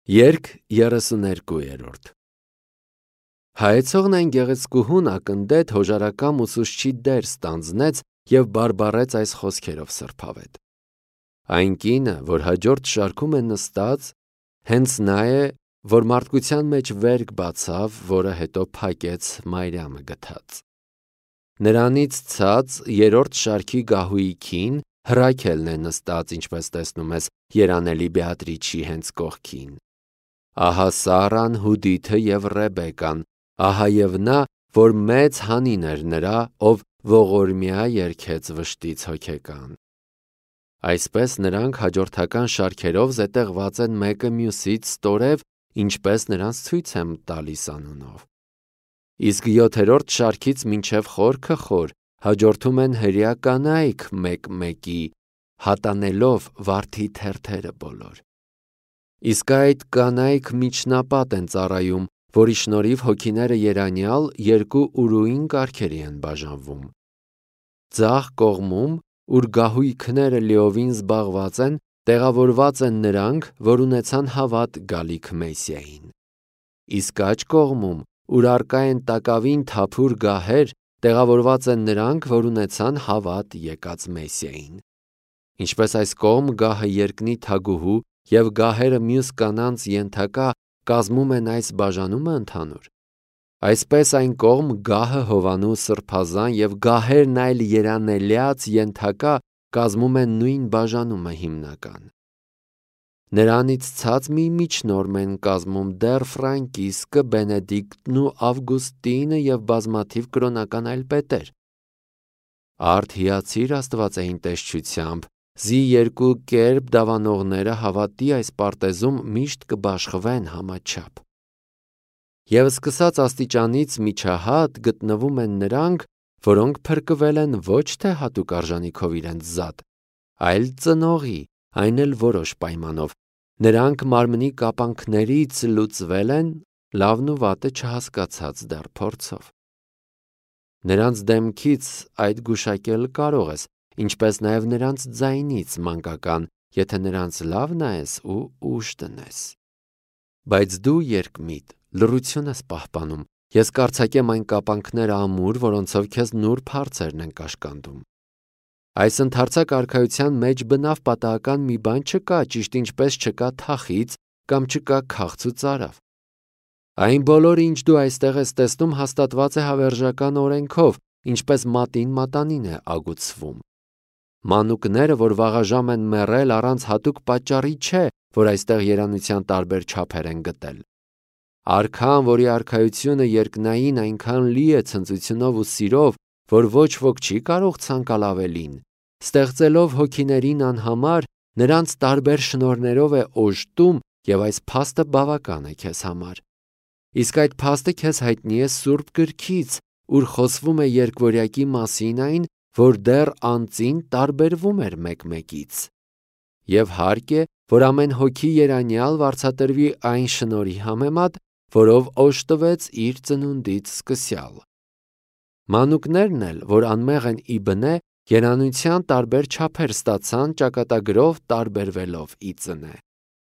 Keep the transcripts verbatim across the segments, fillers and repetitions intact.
Երգ երեսուներկուերորդ Հայեցողն այն գեղեցկուհուն ակնդետ հոժարակամ ուսուցչի դեր ստանձնեց և բարբառեց այս խոսքերով սրբավետ. Այն կինը, որ հաջորդ շարքում է նստած, հենց նա է, որ մարդկության մեջ վերք բացավ, որը հետո փակեց Մարիամը գթած։ Նրանից ցած երրորդ շարքի գահույքին Հռաքելն է նստած, ինչպես տեսնում ես երանելի Բեատրիչի հենց կողքին։ Ահա Սառան, Հուդիթը և Ռեբեկան, ահա և նա, որ մեծ հանին էր նրա, ով ողորմյա երգեց վշտից հոգեկան։ Այսպես նրանք հաջորդական շարքերով զետեղված են մեկը մյուսից ստորև, ինչպես նրանց ցույց եմ տալիս անունով։ Իսկ յոթերորդ շարքից մինչև խորքը խոր հաջորդում են հրեա կանայք մեկ-մեկի, հատանելով վարդի թերթերը բոլոր։ Իսկ այդ կանայք միջնապատ են ծառայում, որի շնորհիվ հոգիները երանյալ երկու ուրույն կարգերի են բաժանվում։ Ձախ կողմում, ուր գահույքները լիովին զբաղված են, տեղավորված են նրանք, որ ունեցան հավատ գալիք Մեսիային։ Իսկ աջ կողմում, ուր առկա են տակավին թափուր գահեր, տեղավորված են նրանք, որ ունեցան հավատ եկած Մեսիային։ Ինչպես այս կողմ գահը երկնի թագուհու և գահերը մյուս կանանց ենթակա կազմում են այս բաժանումը ընդհանուր, այսպես այն կողմ գահը Հովանու սրբազան և գահերն այլ երանելյաց ենթակա կազմում են նույն բաժանումը հիմնական։ Նրանից ցած մի միջնորմ են կազմում դեռ Ֆրանկիսկը, Բենեդիկտն ու Ավգուստինը և բազմաթիվ կրոնական այլ պետեր։ Արդ հիացիր աստվածային տեսչությամբ, զի երկու կերպ դավանողները հավատի այս պարտեզում միշտ կբաշխվեն համաչափ։ Եվ սկսած աստիճանից միջահատ գտնվում են նրանք, որոնք փրկվել են ոչ թե հատուկ արժանիքով իրենց զատ, այլ ծնողի, այն էլ որոշ պայմանով։ Նրանք մարմնի կապանքներից լուծվել են, լավն ու վատը չհասկացած դեռ փորձով։ Նրանց դեմքից այդ գուշակել կարող ես, ինչպես նաև նրանց ձայնից մանկական, եթե նրանց լավ նայես ու ուշ դնես։ Բայց դու երկմիտ լռություն ես պահպանում, ես կարձակեմ այն կապանքները ամուր, որոնցով քեզ նուրբ հարցերն են կաշկանդում։ Այս ընդարձակ արքայության մեջ բնավ պատահական մի բան չկա, ճիշտ ինչպես չկա թախիծ կամ չկա քաղց ու ծարավ։ Այն բոլորը, ինչ դու այստեղ ես տեսնում, հաստատված է հավերժական օրենքով, ինչպես մատին մատանին է ագուցվում։ Մանուկները, որ վաղաժամ են մեռել, առանց հատուկ պատճառի չէ, որ այստեղ երանության տարբեր չափեր են գտել։ Արքան, որի արքայությունը երկնային այնքան լի է ցնծությունով ու սիրով, որ ոչ ոք չի կարող ցանկալ ավելին, ստեղծելով հոգիներին անհամար, նրանց տարբեր շնորհներով է օժտում և այս փաստը բավական է քեզ համար։ Իսկ այդ փաստը քեզ հայտնի է Սուրբ գրքից, ուր խոսվում է երկվորյակի մասին այն, որ դեռ անծին տարբերվում էր մեկ-մեկից։ Եվ հարկ է, որ ամեն հոգի երանյալ վարձատրվի այն շնորհի համեմատ, որով օժտվեց իր ծնունդից սկսյալ։ Մանուկներն էլ, որ անմեղ են ի բնե, երանության տարբեր չափեր ստացան ճակատագրով տարբերվելով ի ծնե։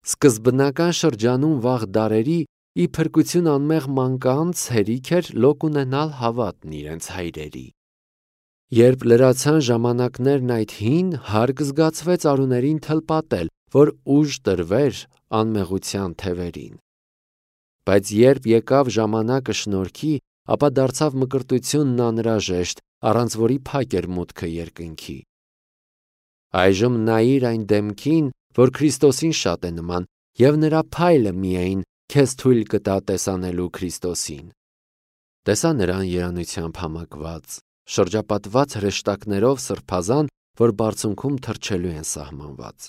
Սկզբնական շրջանում վաղ դարերի ի փրկություն անմեղ մանկանց հերիք էր լոկ ունենալ հավատն իրենց հայրերի։ Երբ լրացան ժամանակներն այդ հին, հարկ զգացվեց արուներին թլպատել, որ ուժ տրվեր անմեղության թևերին։ Բայց երբ եկավ ժամանակը շնորհքի, ապա դարձավ մկրտությունն անհրաժեշտ, առանց որի փակ էր մուտքը երկնքի։ Այժմ նայիր այն դեմքին, որ Քրիստոսին շատ է նման, և նրա փայլը միայն քեզ թույլ կտա տեսանելու Քրիստոսին։ Տեսա նրան երանությամբ համակված, շրջապատված հրեշտակներով սրբազան, որ բարձունքում թռչելու են սահմանված։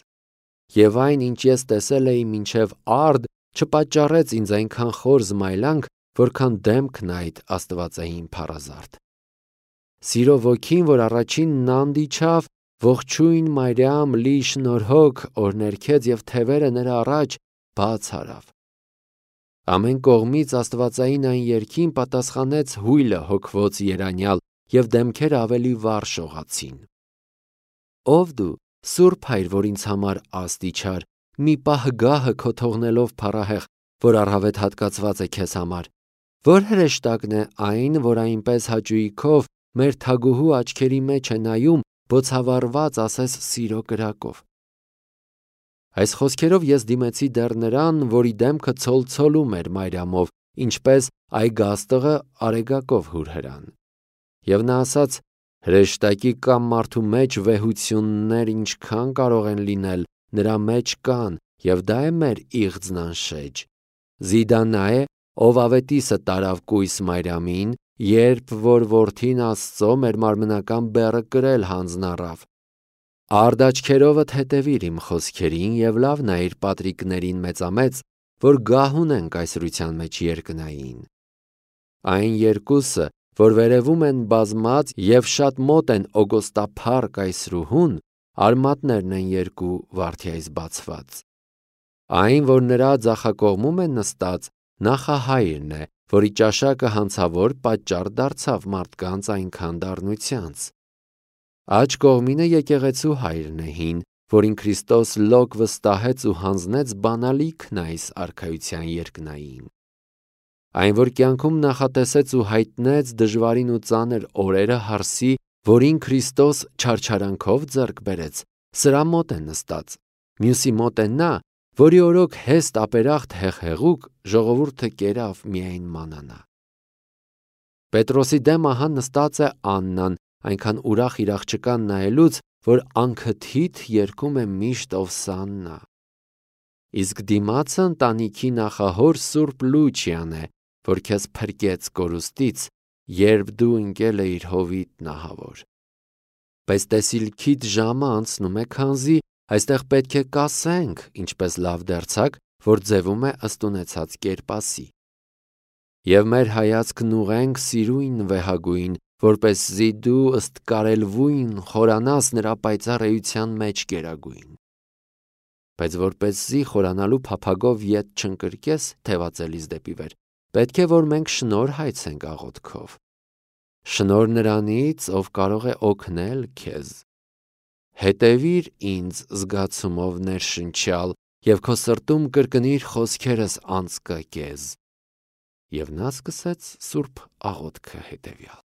Եվ այն, ինչ ես տեսել էի մինչև արդ, չպատճառեց ինձ այնքան խոր զմայլանք, որքան դեմքն այդ աստվածային փառազարդ։ Սիրո ոգին, որ առաջինն անդիչավ, ողջույն Մարիամ, լի շնորհոք, օրհներգեց և թևերը նրա առաջ բաց արավ։ Ամեն կողմից աստվածային այն երգին պատասխանեց հույլը հոգվոց երանյալ, և դեմքերը ավելի վառ շողացին։ Ով դու, Սուրբ Հայր, որ ինձ համար աստիճար, մի պահ գահը քո թողնելով փառահեղ, որ առհավետ հատկացված է քեզ համար, որ հրեշտակն է այն, որ այնպես հաճույքով մեր թագուհու աչքերի մեջ է նայում, բոցավառված ասես սիրո կրակով։ Այս խոսքերով ես դիմեցի դեռ նրան, որի դեմքը ցոլցոլում էր մայրամով, ինչպես այգաստղը արեգակով հուրհրան։ Եւ նա ասաց. հրեշտակի կամ մարդու մեջ վեհություններ ինչքան կարող են լինել, նրա մեջ կան, եւ դա է մեր իղձն անշեջ։ Զիդա նա է, ով ավետիսը տարավ կույս մայրամին, երբ որ որդին Աստծո մեր մարմնական բեռը կրել հանձնառավ։ Արդ աչքերովդ հետևիր իմ խոսքերին եւ լավ նայիր պատրիկներին մեծամեծ, որ գահ ունենք այսրության մեջ երկնային։ Այն երկուսը, որ վերևում են բազմած եւ շատ մոտ են օգոստափառ կայսրուհուն, արմատներն են երկու վարդյայից բացված։ Այն, որ նրա ձախակողմում է նստած, նախահայրն է, որի ճաշակը հանցավոր պատճառ դարձավ մարդկանց այնքան դառնությանց։ Աջ կողմինը եկեղեցու հայրն է հին, որին Քրիստոս լոկ վստահեց ու հանձնեց բանալիքն այս արքայության երկնային։ Այն, որ կյանքում նախատեսեց ու հայտնեց դժվարին ու ծանր օրերը հարսի, որին Քրիստոս չարչարանքով ձեռք բերեց, սրա մոտ է նստած։ Մյուսի մոտ է նա, որի օրոք հեստ ապերախտ հեղհեղուկ ժողովուրդը կերավ միայն մանանա։ Պետրոսի դեմ ահա նստած է Աննան, այնքան ուրախ իր աղջկան նայելուց, որ անքթիթ երգում է միշտ Օվսաննա։ Իսկ դիմացը ընտանիքի նախահոր Սուրբ Լուչիան է, որ քեզ փրկեց կորուստից, երբ դու ընկել էիր հովիտ նահավոր։ Բայց տեսիլքիդ ժամը անցնում է, քանզի այստեղ պետք է կասենք, ինչպես լավ դերձակ, որ ձևում է ըստ ունեցած կերպասի։ Եվ մեր հայացքն ուղենք սիրույն վեհագույն, որպեսզի դու ըստ կարելվույն խորանաս նրա պայծառ էության մեջ կերագույն։ Բայց որպեսզի խորանալու փափագով ետ չընկրկես թևածելիս դեպի վեր, պետք է որ մենք շնոր հայցենք աղոթքով։ Շնոր նրանից, ով կարող է օգնել քեզ։ Հետևիր ինձ զգացումով ներշնչյալ եւ քո սրտում կրկնիր խոսքերս անցկակեզ։ Եվ նա սկսեց սուրբ աղոթքը հետևյալ.